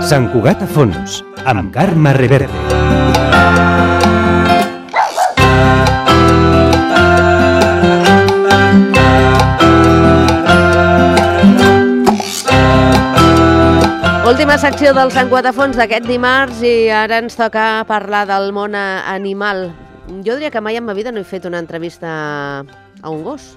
Sant Cugat a fons, amb Carme Reverte. Última secció del Sant Cugat a fons d'aquest dimarts i ara ens toca parlar del món animal. Jo diria que mai en ma vida no he fet una entrevista a un gos.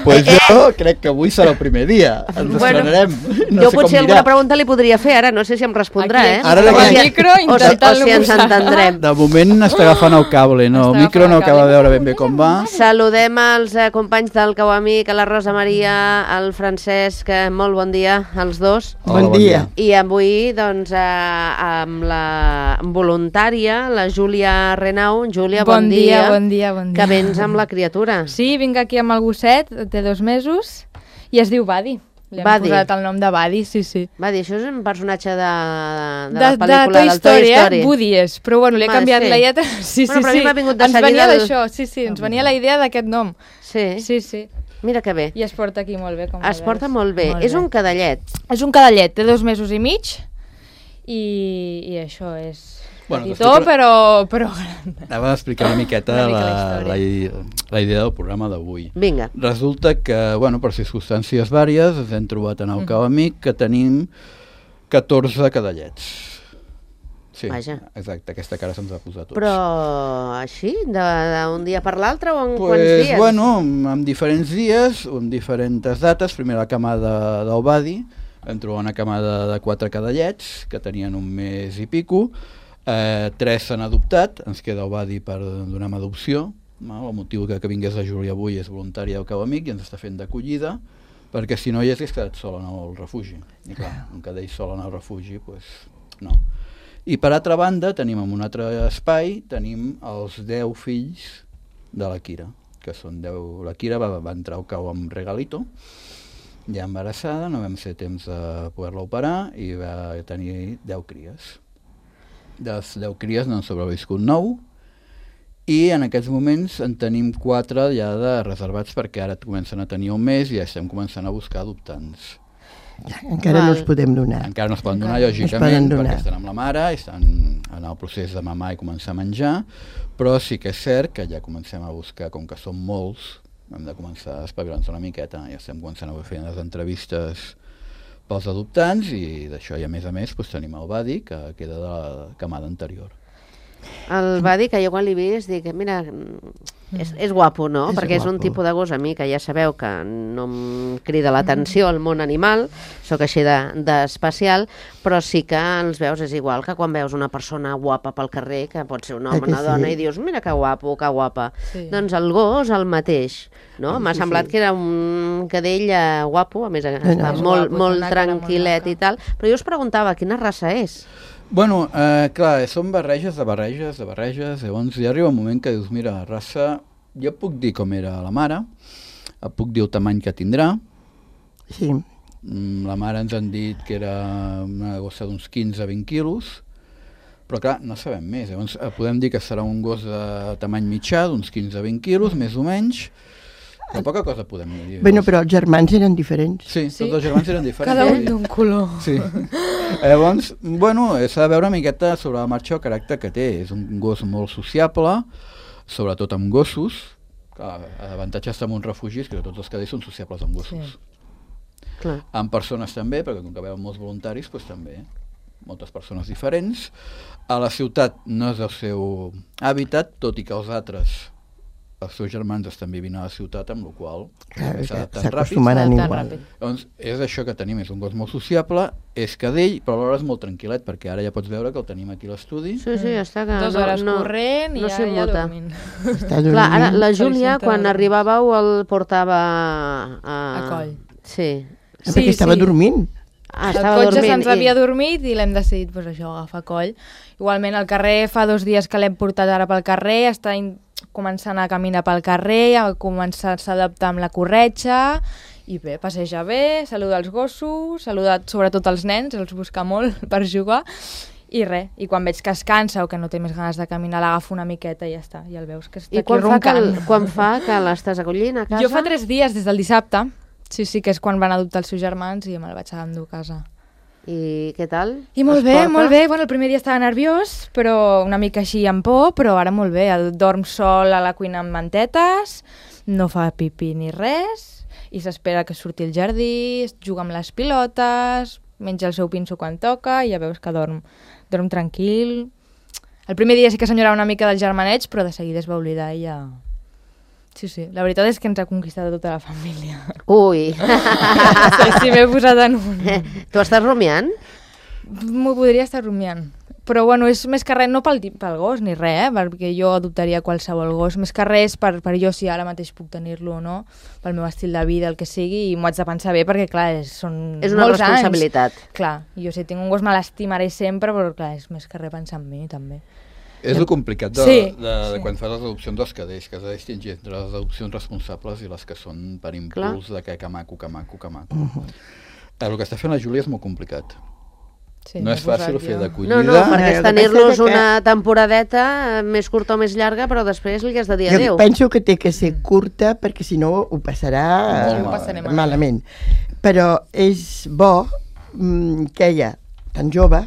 Pues jo crec que avui serà el primer dia. Ens estrenarem. No jo sé potser com alguna dirà. pregunta li podria fer, ara no sé si em respondrà, Aquí, Ara amb el aquí. micro, o intentant-lo si ens posar. entendrem. De moment està agafant el cable, no? El Està micro no agafant el acaba de cable. veure ben bé com va. Saludem els companys del Cau Amic, a la Rosa Maria, al Francesc, molt bon dia als dos. Hola, Bon dia. I avui, doncs, amb la voluntària, la Júlia Renau. Júlia, bon dia. Bon dia. Que vens amb la criatura. Sí, vinc aquí amb el gosset, té 2 mesos, i es diu Buddy. Li hem Buddy. posat el nom de Buddy, sí. Va dir, això és un personatge de la pel·lícula Toy del Toy Story. Woody és, però bueno, li he Va, canviat sí. la lletra. Sí, Bueno, però a mi m'ha vingut de ens seguida venia el- d'això, sí, ens venia la idea d'aquest nom. Sí. Sí. Mira que bé. I es porta aquí molt bé, com Es veus. porta molt bé. És un cadallet. És un cadallet, té 2 mesos i mig, i això és... Bueno, Petitó, però gran. Anava a explicar una miqueta Una mica la idea del programa d'avui. Vinga. Resulta que, bueno, per circumstàncies vàries, ens hem trobat en el Cau Amic que tenim 14 cadallets. Sí, Vaja. exacte, aquesta cara se'ns ha posat tots. Però així, d'un dia per l'altre o en quants Pues, dies? bueno, en diferents dies, en diferents dates. Primer la camada del Badi, vam trobar una camada de 4 cadallets que tenien 1 mes i pico. 3 s'han adoptat, ens queda el Badi per donar en adopció. El motiu que vingués la Júlia avui és voluntària del Cau Amic i ens està fent d'acollida, perquè si no hi hagués quedat sol en el refugi. I clar, un cadell sol en el refugi, pues, no. I per altra banda, tenim en un altre espai, tenim els 10 fills de la Kira, que són 10... La Kira va entrar al Cau amb regalito, ja embarassada, no vam ser temps de poder-la operar i va tenir 10 cries. De les 10 cries n'han sobreviscut 9 i en aquests moments en tenim 4 ja de reservats perquè ara comencen a tenir 1 mes i ja estem començant a buscar adoptants. Encara no els podem donar. Encara no es poden donar, No es lògicament, poden donar. perquè estan amb la mare, estan en el procés de mamar i començar a menjar, però sí que és cert que ja comencem a buscar, com que són molts, hem de començar a espavilar-nos una miqueta, ja estem començant a fer les entrevistes pels adoptants i d'això, i a més doncs, tenim el Badi, que queda de la camada anterior. El va dir que jo quan l'he vist dic, mira, és guapo, no? És Perquè és un guapo. tipus de gos a mi que ja sabeu que no em crida l'atenció el món animal, sóc així d'especial, però sí que els veus, és igual que quan veus una persona guapa pel carrer, que pot ser un home, Que una dona, sí? i dius, mira que guapo, que guapa. Sí. Doncs el gos el mateix, no? M'ha Sí, semblat sí. que era un cadell guapo, a més està és molt, guapo, molt té una cara molt tranquil·let maca. i tal, però jo us preguntava quina raça és. Bueno, clar, són barreges, llavors ja arriba un moment que dius, mira, raça, jo puc dir com era la mare, puc dir el tamany que tindrà, Sí. La mare ens han dit que era una gossa d'uns 15-20 quilos, però clar, no sabem més. Llavors podem dir que serà un gos de tamany mitjà, d'uns 15-20 quilos, més o menys, però poca cosa podem dir. Bueno, però els germans eren diferents. Sí, tots els germans eren diferents. Cada un d'un color. Sí. Llavors, bueno, s'ha de veure una miqueta sobre la marxa el caràcter que té. És un gos molt sociable, sobretot amb gossos. Clar, l'avantatge d'estar en un refugi és que tots els cadells són sociables amb gossos. Sí. Clar. Amb persones també, perquè com que veuen molts voluntaris, doncs també, moltes persones diferents. A la ciutat no és el seu hàbitat, tot i que els altres, els seus germans estan vivint a la ciutat, amb la qual Clar, s'adapten ràpid. s'acostumaran S'adapten igual. ràpid. Doncs és això que tenim, és un gos molt sociable, és cadell, però alhora és molt tranquil·let, perquè ara ja pots veure que el tenim aquí a l'estudi. Sí, sí, està que 2 hores corrent i no ja s'immuta. dormint. Està Clar, dormint. ara la Júlia, Felicita. quan arribàveu, el portava A coll. Sí. Perquè estava dormint. Ah, El estava cotxe dormint. se'ns havia dormit i l'hem decidit, doncs això, agafar coll. Igualment, al carrer fa 2 dies que l'hem portat ara pel carrer, està començant a caminar pel carrer, ha començat a s'adaptar amb la corretja, i bé, passeja bé, saluda els gossos, saluda sobretot els nens, els busca molt per jugar, i res, i quan veig que es cansa o que no té més ganes de caminar, l'agafo una miqueta i ja està, ja el veus que està I aquí quan fa, roncant. quan fa que l'estàs acollint a casa? Jo fa 3 dies, des del dissabte, sí, que és quan van adoptar els seus germans i me'l vaig endur a casa. I què tal? I molt Es bé, porta? molt bé. Bueno, el primer dia estava nerviós, però una mica així amb por, però ara molt bé. Dorm sol a la cuina amb mantetes, no fa pipí ni res, i s'espera que surti al jardí, juga amb les pilotes, menja el seu pinso quan toca, i ja veus que dorm tranquil. El primer dia sí que s'enyorava una mica del germaneig, però de seguida es va oblidar i ja... Sí, la veritat és que ens ha conquistat tota la família. Ui! Sí, m'he posat en un... Tu estàs rumiant? M'ho podria estar rumiant. Però bueno, és més que res, no pel gos ni res, perquè jo adoptaria qualsevol gos. Més que res per jo si ara mateix puc tenir-lo o no, pel meu estil de vida, el que sigui, i m'ho haig de pensar bé perquè, clar, són És una molts responsabilitat. anys. Clar, jo si tinc un gos me l'estimaré sempre, però clar, és més que res pensar en mi també. És el complicat de Sí. quan fas les adopcions dels cadells, que has de distingir entre les adopcions responsables i les que són per impuls de que maco. El que està fent la Júlia és molt complicat. Sí, No és fàcil fer d'acollida. No, perquè és el que tenir-los passa és que- una temporadeta més curta o més llarga, però després li has de dir Jo adéu. penso que té que ser curta perquè si no ho passarà Molt ho passaré malament. Però és bo que ella, tan jove,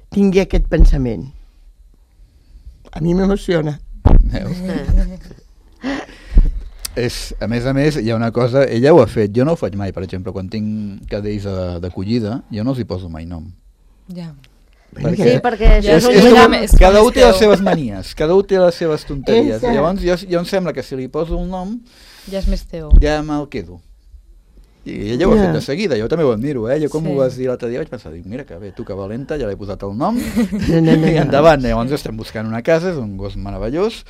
tingui aquest pensament. A mi m'emociona. Veus? A més, hi ha una cosa, ella ho ha fet, jo no ho faig mai, per exemple, quan tinc cadells d'acollida, jo no els hi poso mai nom. Ja. Sí, perquè això És, és un és llibre com, més- cada un té les més seves manies, cada un té les seves tonteries. Exacte. Llavors, jo em sembla que si li poso un nom, Ja és més teu. ja me'l quedo. I ella ho ha fet de seguida, jo també ho admiro, Jo com Sí. ho vas dir l'altre dia vaig pensar, mira que bé, tu que valenta, ja l'he posat el nom, No. i endavant. Llavors estem buscant una casa, és un gos meravellós,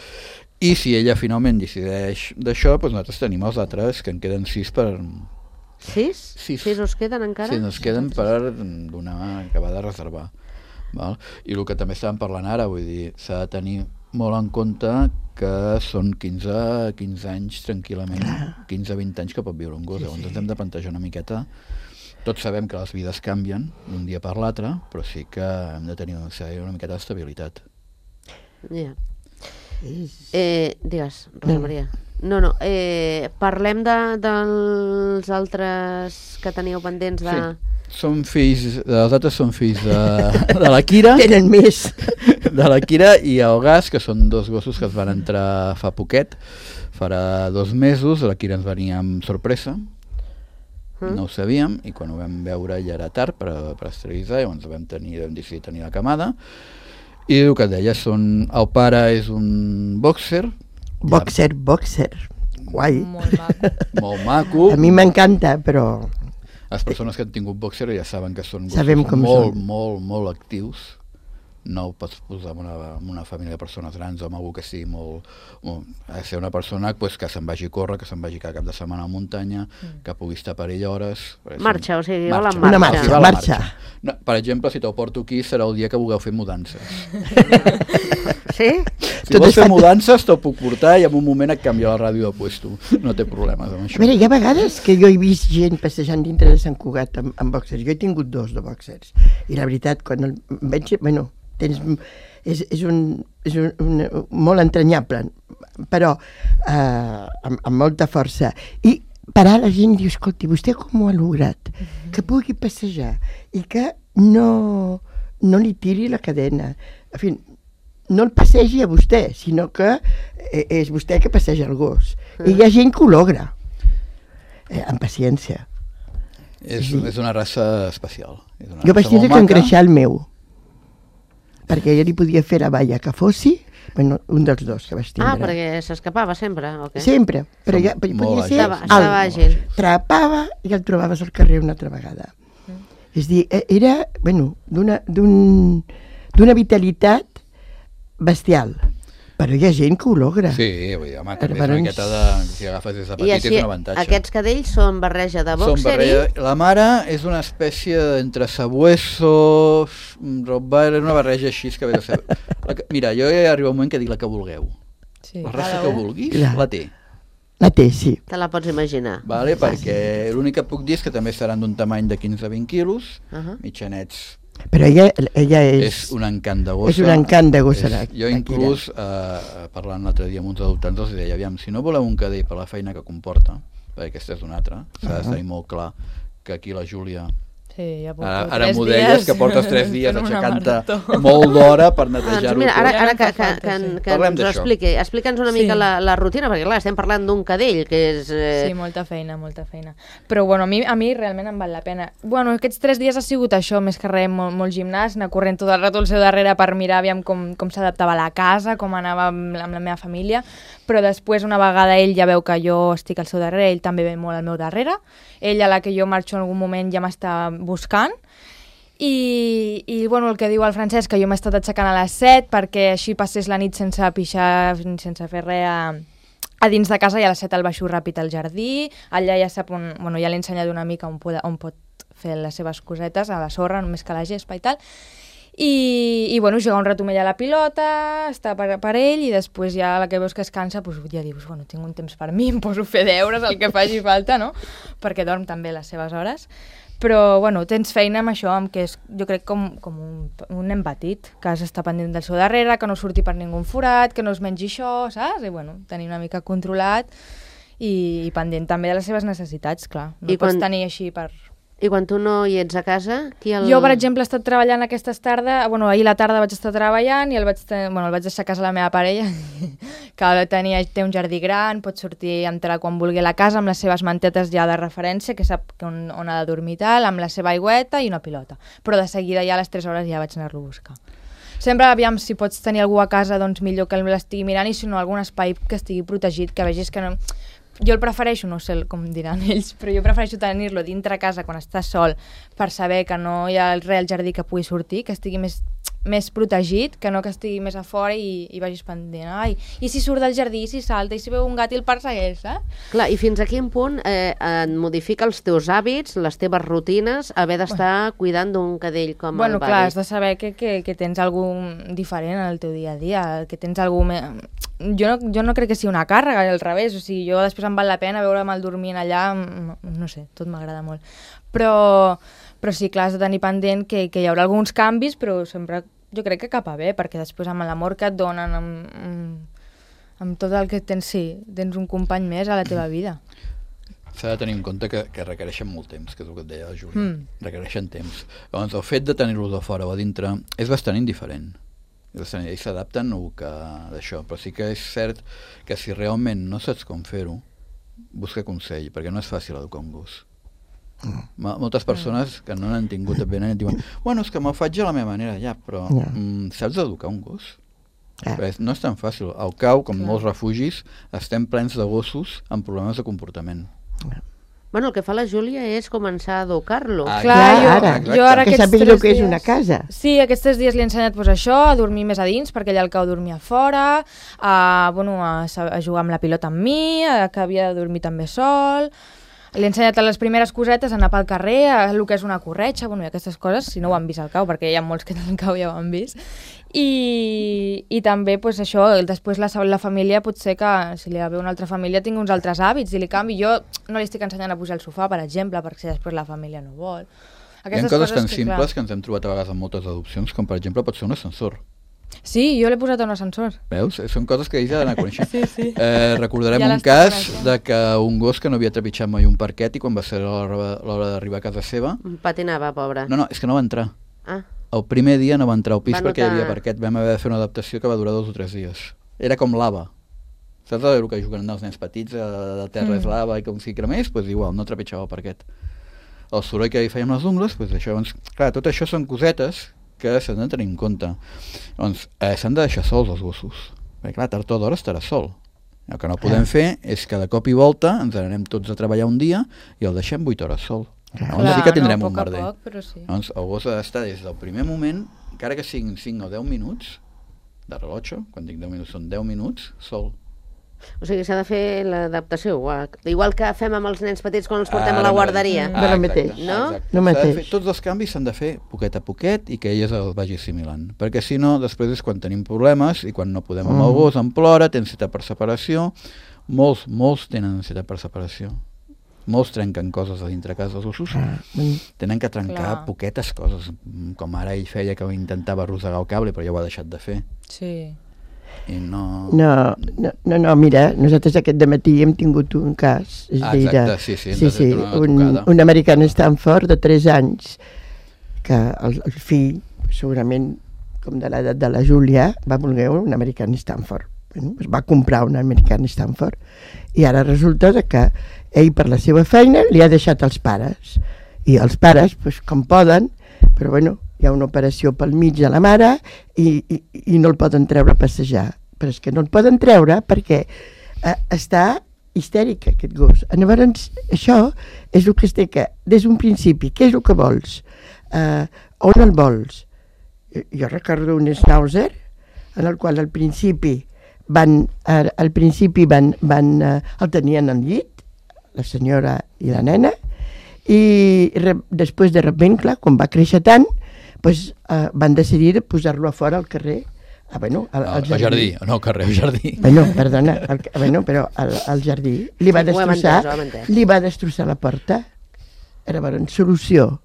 i si ella finalment decideix d'això, doncs nosaltres tenim els altres, que en queden 6 per... 6? Sis. 6 us queden encara? Sí, ens queden per donar, acabar de reservar. Val? I el que també estàvem parlant ara, vull dir, s'ha de tenir molt en compte que són 15 anys tranquil·lament, 15-20 anys que pot viure un gos, llavors ens hem de plantejar una miqueta. Tots sabem que les vides canvien d'un dia per l'altre, però sí que hem de tenir una miqueta d'estabilitat. Ja. Digues, Rosa Maria. No, parlem dels altres que teníeu pendents de... Sí. Són fills, els altres són fills de la Kira, Tenen més. de la Kira i el Gas, que són dos gossos que es van entrar fa poquet, farà 2 mesos, la Kira ens venia amb sorpresa, no ho sabíem, i quan ho vam veure ja era tard per esterilitzar, llavors vam decidir tenir la camada, i el que et deia, el pare és un boxer, Boxer. Guai. Molt maco. molt maco. A mi m'encanta, però... Les persones que han tingut boxer ja saben que són Sabem gossos com molt, són. molt actius. No ho pots posar en una família de persones grans o amb algú que sigui ha de ser una persona pues, que se'n vagi a córrer, que se'n vagi cada cap de setmana a la muntanya, que pugui estar per ell hores. Marxa, o sigui, vol en Una marxa. marxa, va la marxa. No, per exemple, si te'l porto aquí serà el dia que vulgueu fer mudances. Sí? Si Tot vols és fer fàcil. mudances te'l puc portar i en un moment et canvia la ràdio de puesto. No té problemes amb A això. veure, hi ha vegades que jo he vist gent passejant dintre de Sant Cugat amb boxers. Jo he tingut 2 de boxers. I la veritat, quan el veig... Bueno, és un molt entranyable, però amb molta força. I parar la gent i diu, escolti, vostè com ho ha lograt? Que pugui passejar i que no li tiri la cadena. En fi, no el passegi a vostè, sinó que és vostè que passeja el gos. I hi ha gent que ho logra, amb paciència. És una raça especial. És una Jo vaig raça tindre molt que maca. engreixar el meu, perquè jo li podia fer la balla que fossi, bueno, un dels 2 que vaig tindre. Perquè s'escapava sempre, o què? Sempre, però Som ja molt podia ser àgils. Estava àgil. Trapava i el trobaves al carrer una altra vegada. És a dir, era, bueno, d'una vitalitat bestial, però hi ha gent que ho logra. Sí, vull dir, home, també és Però una ens- miqueta de... Si agafes des de I petit així, és un avantatge. aquests cadells són barreja de Són boxer barreja... La mare és una espècie entre sabueso, rottweiler, una barreja així que ve de ser... Mira, jo ja arriba un moment que dic la que vulgueu. Sí, La raça cada que un. vulguis, Clar. la té. La té, sí. te la pots imaginar. Vale? Perquè l'únic que puc dir és que també seran d'un tamany de 15 a 20 quilos, mitjanets. Però ella És un encant de gossa. És un encant de gossa, Jo inclús, parlant l'altre dia amb uns adoptants, els deia, aviam, si no voleu un cadell per la feina que comporta, perquè aquesta és una altra, s'ha de tenir molt clar que aquí la Júlia Sí, ja porto Ara 3 m'ho deies, dies que portes 3 dies fent una aixecant-te marató. molt d'hora per netejar-ho Mira, tot. ara Ja no em que fa falta, sí. Parlem ens ho d'això. expliqui, explica'ns una mica Sí. la rutina, perquè clar, estem parlant d'un cadell, que és... Sí, molta feina, molta feina. Però bueno, a mi realment em val la pena. Bueno, aquests 3 dies ha sigut això, més que res, molt gimnàs, anar corrent tot el rato al seu darrere per mirar aviam com s'adaptava a la casa, com anava amb la meva família, però després una vegada ell ja veu que jo estic al seu darrere, ell també ve molt al meu darrere, ell a la que jo marxo en algun moment ja m'està buscant, i bueno, el que diu el Francesc, que jo m'he estat aixecant a les 7 perquè així passés la nit sense pixar, sense fer res a dins de casa, i a les 7 el baixo ràpid al jardí, allà ja sap on, bueno, ja l'he ensenyat una mica on pot fer les seves cosetes, a la sorra, només que a la gespa i tal, i bueno, jugar un rato amb ella a la pilota, estar per ell, i després ja a la que veus que es cansa, doncs ja dius, bueno, tinc un temps per mi, em poso a fer deures, el que faci falta, no? Perquè dorm també les seves hores. Però, bueno, tens feina amb això, amb que és, jo crec, com un nen petit, que has d'estar pendent del seu darrere, que no surti per ningú forat, que no es mengi això, saps? I, bueno, tenir una mica controlat i pendent també de les seves necessitats, clar. No pots tenir així per... I quan tu no hi ets a casa, qui el... Jo, per exemple, he estat treballant aquestes tardes, bueno, ahir a la tarda vaig estar treballant i el vaig deixar a casa la meva parella, que té un jardí gran, pot sortir, entrar quan vulgui a la casa amb les seves mantetes ja de referència, que sap on ha de dormir i tal, amb la seva aigüeta i una pilota. Però de seguida ja a les 3 hores ja vaig anar-lo a buscar. Sempre, aviam, si pots tenir algú a casa, doncs millor que l'estigui mirant, i si no, algun espai que estigui protegit, que vegis que no... Jo el prefereixo, no sé com diran ells, però jo prefereixo tenir-lo dintre casa quan està sol, per saber que no hi ha res al jardí que pugui sortir, que estigui més protegit, que no que estigui més a fora i vagis pendent. Ai, i si surt del jardí, i si salta, i si veu un gat i el persegueix, eh? Clar, i fins a quin punt et modifica els teus hàbits, les teves rutines, haver d'estar cuidant d'un cadell com el Bueno, Buddy? clar, has de saber que tens algú diferent en el teu dia a dia, que tens algú més... Jo no crec que sigui una càrrega, al revés, o sigui, jo després em val la pena veure'm el dormint allà, no sé, tot m'agrada molt. Però sí, clar, has de tenir pendent que hi haurà alguns canvis, però sempre jo crec que cap a bé, perquè després amb l'amor que et donen, amb tot el que tens, sí, tens un company més a la teva vida. S'ha de tenir en compte que requereixen molt temps, que és el que et deia la Júlia. Requereixen temps. Llavors, el fet de tenir-los de fora o a dintre és bastant indiferent. Ells s'adapten o que d'això, però sí que és cert que si realment no saps com fer-ho, busca consell, perquè no és fàcil educar un gos. Moltes persones que no n'han tingut ben et diuen, bueno, és que me'l faig a la meva manera, ja, però saps educar un gos? No és tan fàcil. Al cau, com molts refugis, estem plens de gossos amb problemes de comportament. Bueno, el que fa la Júlia és començar a educar-lo. Jo ara que sàpiga el que és una casa. Sí, aquests 3 dies li he ensenyat això, a dormir més a dins, perquè ell al cau dormia fora, a jugar amb la pilota amb mi, que havia de dormir també sol. Li he ensenyat les primeres cosetes, anar pel carrer, el que és una corretxa, bueno, i aquestes coses, si no ho han vist al cau, perquè hi ha molts que al cau ja ho han vist. I també, pues, això, després la família, potser que si li ve una altra família tingui uns altres hàbits i li canvi. Jo no li estic ensenyant a pujar al sofà, per exemple, perquè després la família no vol. Hi ha coses tan simples que ens hem trobat a vegades en moltes adopcions, com per exemple pot ser un ascensor. Sí, jo l'he posat a un ascensor. Veus? Són coses que ells ja d'anar coneixent. Sí. Recordarem un cas de que un gos que no havia trepitjat mai un parquet i quan va ser l'hora d'arribar a casa seva... Patinava, pobre. No, és que no va entrar. El primer dia no va entrar al pis perquè hi havia parquet. Vam haver de fer una adaptació que va durar 2 o 3 dies. Era com lava. Saps el que juguen els nens petits, de terra és lava i com si cremés? Doncs igual, no trepitjava el parquet. El soroll que hi fèiem les ungles, doncs això, clar, tot això són cosetes que s'han de tenir en compte. Doncs s'han de deixar sols els gossos. Perquè clar, tard o d'hora estarà sol. El que no podem fer és que de cop i volta ens anem tots a treballar un dia i el deixem 8 hores sol. Llavors sí que tindrem un merder. Llavors el gos ha d'estar des del primer moment, encara que siguin 5 o 10 minuts de rellotge, quan dic 10 minuts són 10 minuts, sol. O sigui, s'ha de fer l'adaptació, igual que fem amb els nens petits quan els portem a la guarderia. Tots els canvis s'han de fer poquet a poquet i que elles el vagi assimilant, perquè si no, després és quan tenim problemes i quan no podem amb el gos, em plora, té ansietat per separació, molts tenen ansietat per separació. Molts trenquen coses a dintre casa dels gossos, tenen que trencar poquetes coses, com ara ell feia que intentava arrossegar el cable però ja ho ha deixat de fer. Sí. I no... No, mira, nosaltres aquest dematí hem tingut un cas. Exacte, sí, un americà en Stanford de 3 anys, que el fill, segurament com de l'edat de la Júlia, va voler un americà en Stanford. Bueno, es va comprar un americà en Stanford i ara resulta que ell per la seva feina li ha deixat els pares i els pares, pues, com poden, però bueno, hi ha una operació pel mig de la mare i no el poden treure a passejar, però és que no el poden treure perquè està histèric aquest gos. Llavors això és el que es té que des d'un principi, què és el que vols, on el vols? Jo recordo un Schnauzer en el qual al principi el tenien al llit, la senyora i la nena, i després de sobte, clar, quan va créixer tant, doncs, van decidir de posar-lo a fora al carrer, al jardí. No, al carrer, al jardí. Perdona, però al jardí. Li va destrossar la porta. Llavors, solució,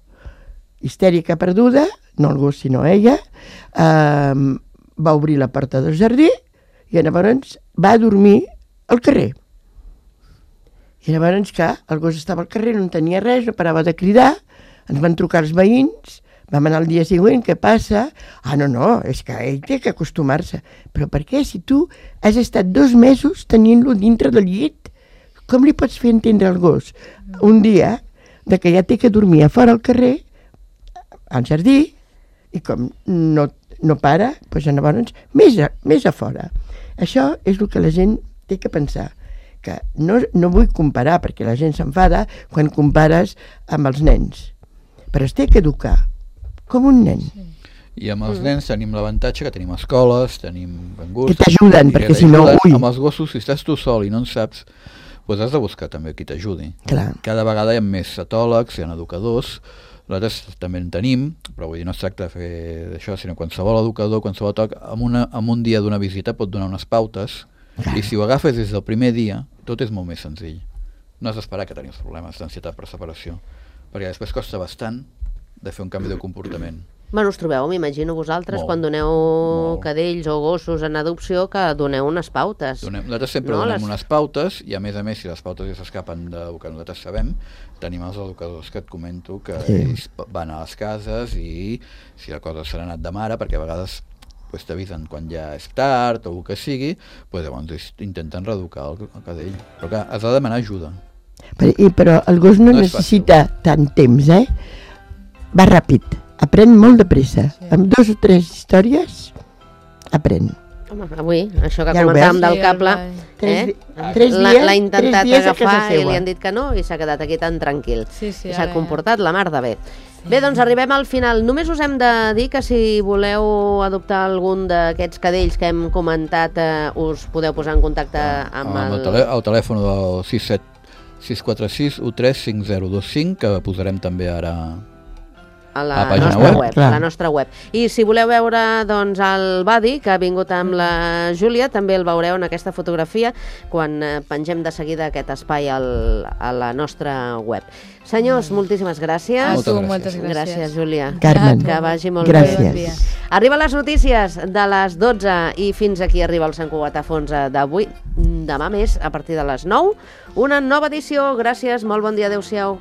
histèrica perduda, no el gos sinó ella, va obrir la porta del jardí i llavors va dormir al carrer. I llavors, clar, el gos estava al carrer, no tenia res, no parava de cridar, ens van trucar els veïns, vam anar el dia següent, què passa? No, és que ell té que acostumar-se. Però per què? Si tu has estat 2 mesos tenint-lo dintre del llit, com li pots fer entendre al gos? Un dia, de que ja té que dormir a fora al carrer, al jardí, i com no para, doncs llavors més a fora. Això és el que la gent té que pensar, que no vull comparar, perquè la gent s'enfada quan compares amb els nens, però es té que educar com un nen. I amb els nens tenim l'avantatge que tenim escoles, tenim bengurs... Que t'ajuden, perquè si no... Amb els gossos, si estàs tu sol i no en saps, doncs has de buscar també qui t'ajudi. Cada vegada hi ha més etòlegs, hi ha educadors, nosaltres també en tenim, però vull dir, no es tracta de fer d'això, sinó qualsevol educador, qualsevol toc, en un dia d'una visita pot donar unes pautes, i si ho agafes des del primer dia, tot és molt més senzill. No has d'esperar que tenis problemes d'ansietat per separació, perquè després costa bastant de fer un canvi de comportament. Bueno, us trobeu, m'imagino vosaltres, quan doneu cadells o gossos en adopció, que doneu unes pautes. Nosaltres sempre donem unes pautes, i a més, si les pautes ja s'escapen del que nosaltres sabem, tenim els educadors que et comento que ells van a les cases i si la cosa s'ha anat de mare, perquè a vegades t'avisen quan ja és tard o el que sigui, llavors intenten reeducar el cadell. Però clar, has de demanar ajuda. Però el gos no necessita tant temps, va ràpid. Aprèn molt de pressa. Amb 2 o 3 històries, aprèn. Home, avui, això que comentàvem del cable, l'ha intentat agafar i li han dit que no i s'ha quedat aquí tan tranquil. S'ha comportat la mar de bé. Bé, doncs arribem al final. Només us hem de dir que si voleu adoptar algun d'aquests cadells que hem comentat, us podeu posar en contacte amb el telèfon del 646 135025, que posarem també ara a la nostra web. I si voleu veure doncs, el Buddy, que ha vingut amb la Júlia, també el veureu en aquesta fotografia quan pengem de seguida aquest espai a la nostra web. Senyors, moltíssimes gràcies. Moltes gràcies. Gràcies, Júlia. Carmen, que vagi molt bé. Arriba les notícies de les 12 i fins aquí arriba el Sant Cugat a fons d'avui. Demà més, a partir de les 9, una nova edició. Gràcies, molt bon dia, adeu-siau.